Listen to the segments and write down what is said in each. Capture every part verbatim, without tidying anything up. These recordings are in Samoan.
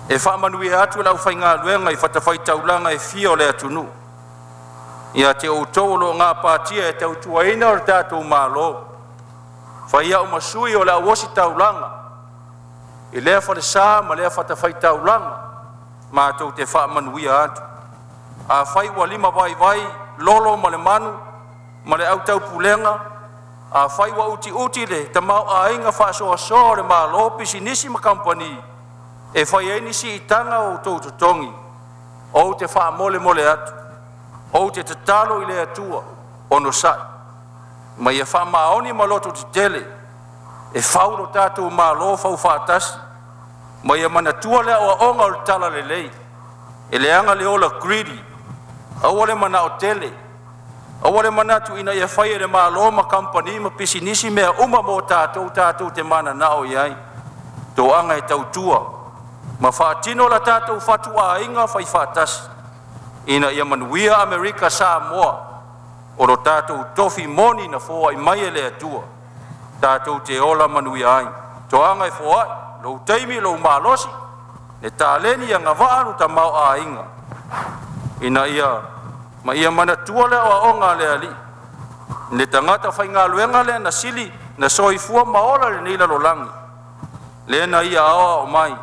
E faamanuia atu le aufaigaluega i fatafaitaulaga e fia o le atunuu. Ia te outou o lo o gapatia e tautuaina o tatou Malo, fai au ma sui o le au ositaulaga i lea falesa ma lea fatafaitaulaga, matou te faamanuia atu. Afai ua limavaivai lolo ma le manu ma le au taupulega, afai ua utiuti le tamaoaiga faasoasoa o le Malo, pisinisi ma kamupani e fai ai ni siitaga o outou totogi, ou te faamolemole atu, ou te tatalo i le Atua, onosai ma ia faamaoni ma lototetele e fau lo tatou Malo faufaatasi ma ia manatua le aoaoga o le Talalelei, e leaga le ola greedy, aua le manao tele, aua le manatu ina ia fai e le Malo ma kamupani ma pisinisi mea uma mo tatou tatou te mananao i ai. Toaga e tautua ma faatino la tatou fatuaiga faifaatasi ina ia manuia Amerika Samoa o lo tatou tofi moni na foai mai e le Atua tatou te ola manuia ai. Toaga e foai, lou taimi, lou malosi, le taleni, agavaa le tamaoaiga ina ia ma ia manatua le aoaoga a le Alii, le tagata faigaluega lea na sili na soifua ma ola i lenei lalolagi, lea na ia aoao mai,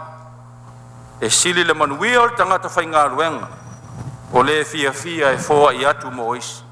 e sili le manuia o le tagata faigaluega o le fiafia e foai atu mo isi.